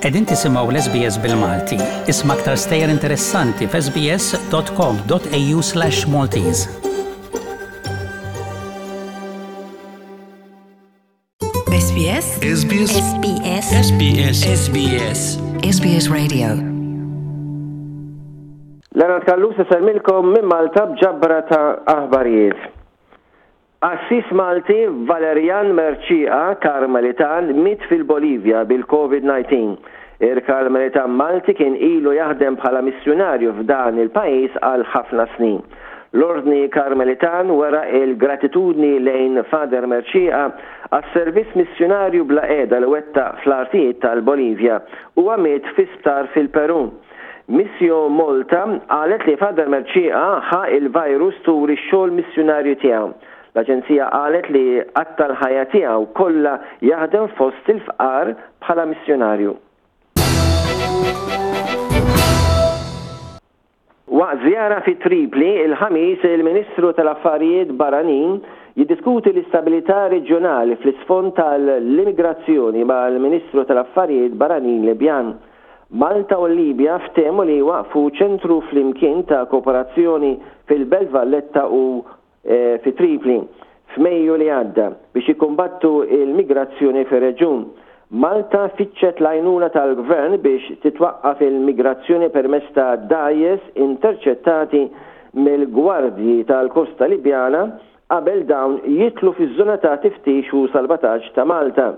Qegħdin tisimgħu l-SBS bil-Malti. Isma' aktar stejjer interessanti f'sbs.com.au/maltese. SBS SBS SBS SBS SBS SBS Radio Leonard Callus isellmilkom minn Malta b'ġabra ta' aħbarijiet. Qassis Malti Valerian Mercieca, Karmelitan, miet fil-Bolivja bil-Covid-19. Il-Karmelitan Malti kien ilu jaħdem bħala missjunarju f'dan il-pajjiż għal ħafna snin. L-Ordni Karmelitan wera l-gratitudni lejn Father Mercieca għas-servizz missjunarju bla qiegħda li wettaq fl-artijiet tal-Bolivja. Huwa miet fi sptar fil-Peru. Missio Malta qalet li Father Mercieca ħa il-virus tul ix-xogħol missjunarju tiegħu. L-aġenzija qalet li qatta' l-ħajja tiegħu kollha jaħdem fost il-fqar bħala missjunarju. Waqt żjara fi Tripli, il-Ħamis, il-Ministru tal-Affarijiet Barranin jiddiskuti l-istabilità reġjonali fl-isfond tal-immigrazzjoni mal-Ministru tal-Affarijiet Barranin Libjan. Malta u l-Libja ftehmu li jwaqqfu ċentru flimkien ta' kooperazzjoni fil-Belt Valletta u fi Tripli f'Mejju li għadda biex jikkumbattu l-migrazzjoni fir-reġjun. Malta fittxet l-għajnuna tal-Gvern biex titwaqqaf il-migrazzjoni permezz ta' dgħajjes interċettati mill-Gwardji tal-Kosta Libjana qabel dawn jidħlu fiż-żona ta' tiftix u salvataġġ ta' Malta.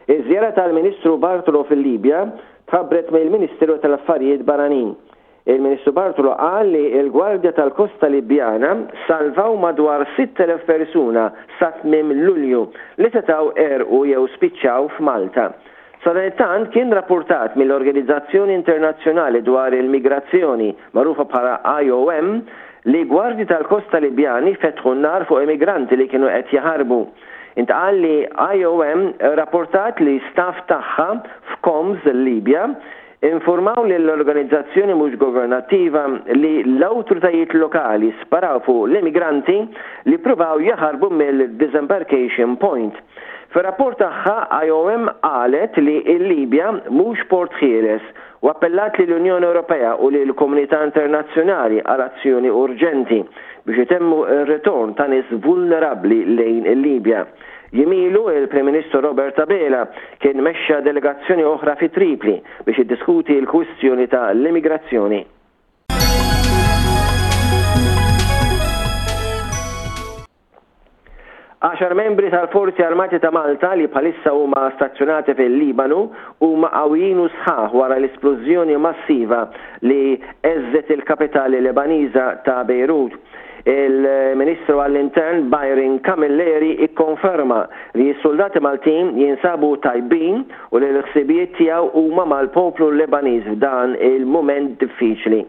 Iż-żjara tal-Ministru Bartolo fil-Libja tħabbret mill-Ministeru tal-Affarijiet Barranin. Il-Ministru Bartolo qal li l-Gwardja tal-Kosta Libjana salvaw madwar 6,000 persuna sa tmiem Lulju li setgħu għerqu jew spiċċaw f'Malta. Sadanittant kien rappurtat mill-Organizzazzjoni Internazzjonali dwar il-Migrazzjoni, magħrufa bħala IOM, li gwardji tal-kosta Libjani fetħu n-nar fuq immigranti li kienu qed jaħarbu. Intqal li IOM rrapportat li staff tagħha f'Coms, il-Libja, infurmaw lill-organizzazzjoni mhux governattiva li l-awtoritajiet lokali sparaw fuq l-immigranti li ppruvaw jaħarbu mill-disembarkation point. Fir-rapport tagħha, IOM qalet li l-Libja mhux port ħieles u appellat lill-Unjoni Ewropea u lill-komunità internazzjonali għal azzjoni urġenti biex itemmu r-ritorn ta' nies vulnerabbli lejn il-Libja. Jiem ilu, il-Prim Ministru Robert Abela kien mexxa delegazzjoni oħra fi Tripli biex jiddiskuti l-kwistjoni ta' l-immigrazzjoni. Għaxar membri tal-Forzi Armati ta' Malta li bħalissa huma stazzjonati fil-Libanu huma qawwijin u sħaħ wara l-isplużjoni massiva li heżżet il-kapitali Lebaniża ta' Bejrut. Il-Ministru għall-Intern Byron Camilleri ikkonferma li s-suldati Maltin jinsabu tajbin u li l-ħsibijiet tiegħu huma mal-poplu Lebaniż f'dan il-mument diffiċli.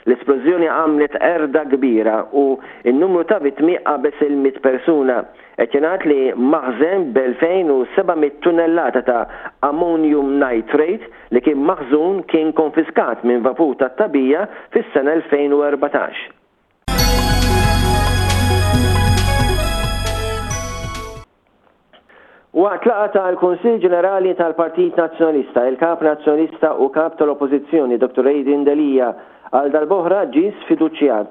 L-isplużjoni għamlet qerda kbira u In-numru ta' vittmi qabeż il-100 persuna. Qed jingħad li maħżen b'2,700 tunnellata ta' ammonium nitrate li kien maħżun kien konfiskat minn vapur tat-tagħbija fis-sena 2014. Waqt laqgħa tal-Kunsill Ġenerali tal-Partit Nazzjonalista, il-Kap Nazzjonalista u Kap tal-Oppożizzjoni Dottor Adrian Delia għal darb'oħra ġie sfiduċjat.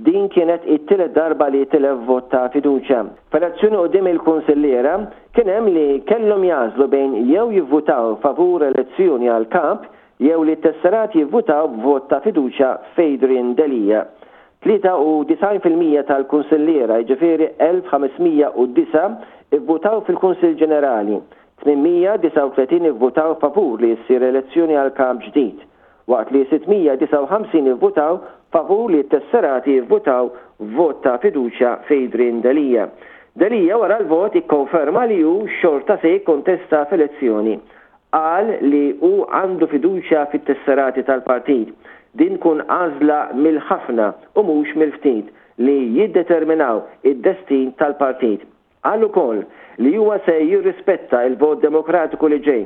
Din kienet it-tielet darba li tilef vot ta' fiduċja. F'elezzjoni quddiem il-kunsilliera, kien hemm li kellhom jagħżlu bejn jew jivvutaw favur elezzjoni għal Kap jew li t-tesserati jivvutaw b'vot ta' fiduċja f'Adrian Delia. 93% tal-kunsilliera, jiġifieri 1,509, ivvutaw fil-Kunsill Ġenerali. 839 ivvutaw favur li ssir elezzjoni għal Kap ġdid, waqt li 659 ivvutaw favur li t-tesserati jivvutaw vot ta' fiduċja f'Adrian Delia. Delia wara l-vot ikkonferma li hu xorta se jikkontesta f'elezzjoni. Qal li hu għandu fiduċja fit-tesserati tal-partit. Din tkun għażla mill-ħafna u mhux mill-ftit li jiddeterminaw id-destin tal-partit. Qal ukoll li huwa se jirrispetta l-vot demokratiku li ġej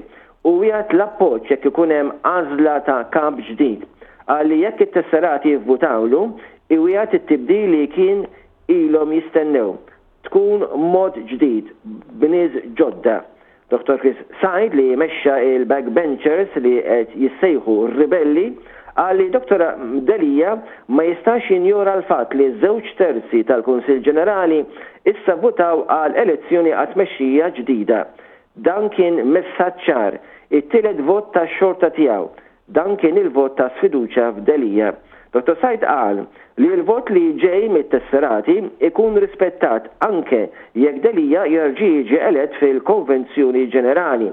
u wiegħed l-appoġġ jekk ikun hemm għażla ta' kap ġdid. Qal li jekk it-tesserati jivvutawlu, iwiegħed it-tibdil li kien ilhom jistennew. Tkun mod ġdid, b'nies ġodda. Dottor Chris Said li mexxa il-backbenchers li qed jissejħu r-ribelli qal li Dottor Delia ma jistax jinjora l-fatt li żewġ terzi tal-Kunsill Ġenerali issa vvutaw għal elezzjoni għat-tmexxija ġdida. Dan kien messaġġ ċar, it-tielet vot tax-xorta tiegħu. Dan kien il-vot ta' sfiduċja f'Delia. Dottor Said qal li l-vot li ġej mit-tesserati ikun rispettat anke jekk Delia jerġa' jiġi elett fil-Konvenzjoni Ġenerali.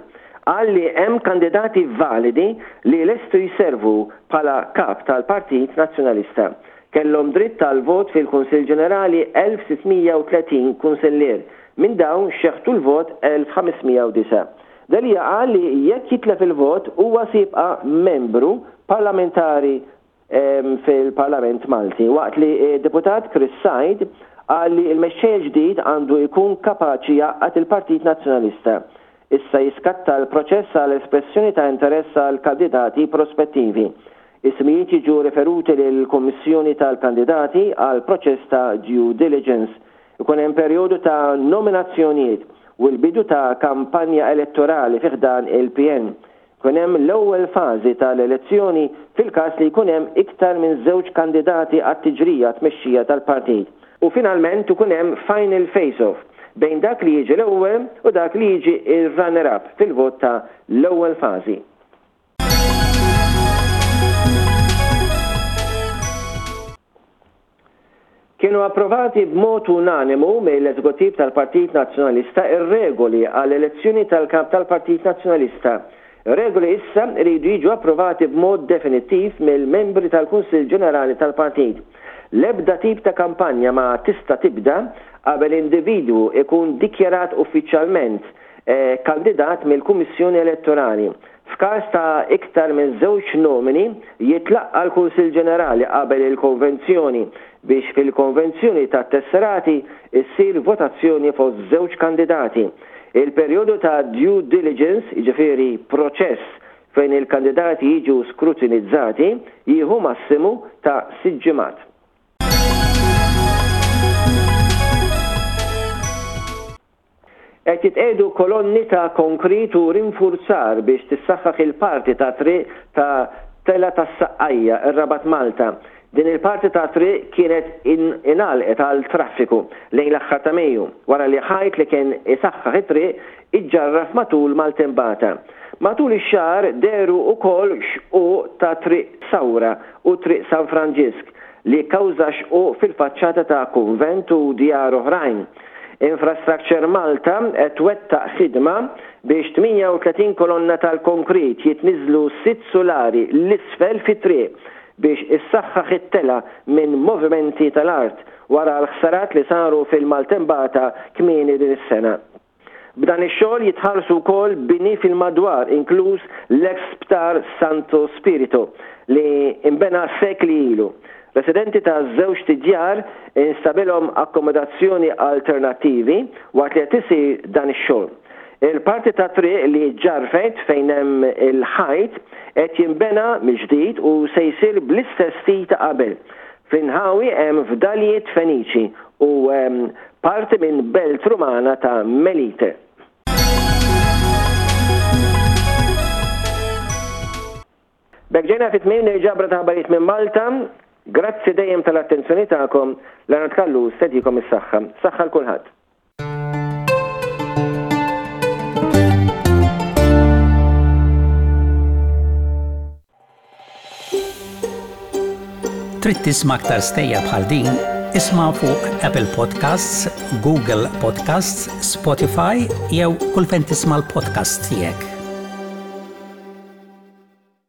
Qal li hemm kandidati validi li lestu jservu bħala Kap tal-Partit Nazzjonalista. Kellhom dritt għall-vot fil-Kunsill Ġenerali 1,630 kunsillier. Minn dawn xeħtu l-vot 1,509. Delia qal li jekk jitlef il-vot huwa se jibqa' membru parlamentari fil-Parlament Malti, waqt li d-Deputat Chris Said qal li l-mexxej il-ġdid għandu jkun kapaċi jgħaqqad il-Partit Nazzjonalista. Issa jiskatta l-proċess għal espressjoni ta' interess għal kandidati prospettivi. Ismijiet jiġu riferuti lill-Kummissjoni tal-Kandidati għal proċess ta' due diligence. Ikun hemm perjodu ta' nominazzjonijiet u l-bidu ta' kampanja elettorali fi ħdan il-PN. Ikun hemm l-ewwel fażi tal-elezzjoni fil-każ li jkun hemm iktar minn żewġ kandidati għat-tiġrija għat-tmexxija tal-partit. U finalment ikun hemm final face-off bejn dak li jiġi l-ewwel u dak li jiġi r-runner-up fil-vot ta' l-ewwel fażi. Kienu approvati b'mod unanimu mill-Eżekuttiv tal-Partit Nazzjonalista r-regoli għall-elezzjoni tal-Kap tal-Partit Nazzjonalista. Regoli issa jridu jiġu approvati b'mod definittiv mill-membri tal-Kunsill Ġenerali tal-Partit. L-ebda tip ta' kampanja ma tista' tibda qabel individwu ikun dikjarat uffiċjalment kandidat mill-Kummissjoni Elettorali. F'każ ta' iktar minn żewġ nomini, jitlaqqa' l-Kunsill Ġenerali qabel il-Konvenzjoni biex fil-Konvenzjoni tat-Tesserati ssir votazzjoni fost żewġ kandidati. Il-perjodu ta' due diligence, jiġifieri proċess fejn il-kandidati jiġu skrutinizzati, jieħu massimu ta' sitt ġimgħat. Qed jitqiegħdu kolonni ta' konkrit u rinfurzar biex tissaħħaħ il-parti ta' triq ta' Telgħa tas-Saqqajja, ir-Rabat Malta. Din il-parti ta' triq kienet ingħalqet għal traffiku lejn l-aħħar ta' Mejju, wara li ħajt li kien isaħħaħ it-triq iġġarraf matul maltempata. Matul ix-xahar dehru wkoll xquq ta' Triq Sawra u Triq San Franġisk li kkawża xquq fil-faċċata ta' kunvent u djar oħrajn. Infrastructure Malta qed twettaq ħidma biex 38 kolonna tal-konkrit jitniżżlu sitt sulari 'l isfel fit-triq biex issaħħaħ it-telgħa minn movimenti tal-art wara l-ħsarat li saru fil-maltembata kmieni din is-sena. B'dan ix-xogħol jitħarsu wkoll bini fil-madwar inkluż l-eks sptar Santo Spirito li nbena sekli ilu. Residenti ta' żewġt idjar instabilhom akkomodazzjoni alternattivi waqt li qed isir dan ix-xogħol. Il-parti tat-triq li ġġarfet fejn hemm il-ħajt qed jinbena mill-ġdid u se jsir bl-istess stil ta' qabel. Fl-inħawi hemm fdalijiet Feniċi u parti minn belt Rumana ta' Melite. B'hekk ġejna fi tmiem il-ġabra ta' aħbarijiet minn Malta. Grazzi dejjem tal-attenzjoni tagħkom. Leonard Callus tedikom is-saħħa. Saħħa l kulħadd. Trid tisma' aktar stejjer bħal din? Isma' fuq Apple Podcasts, Google Podcasts, Spotify jew kull fejn tisma' l-podcasts tiegħek.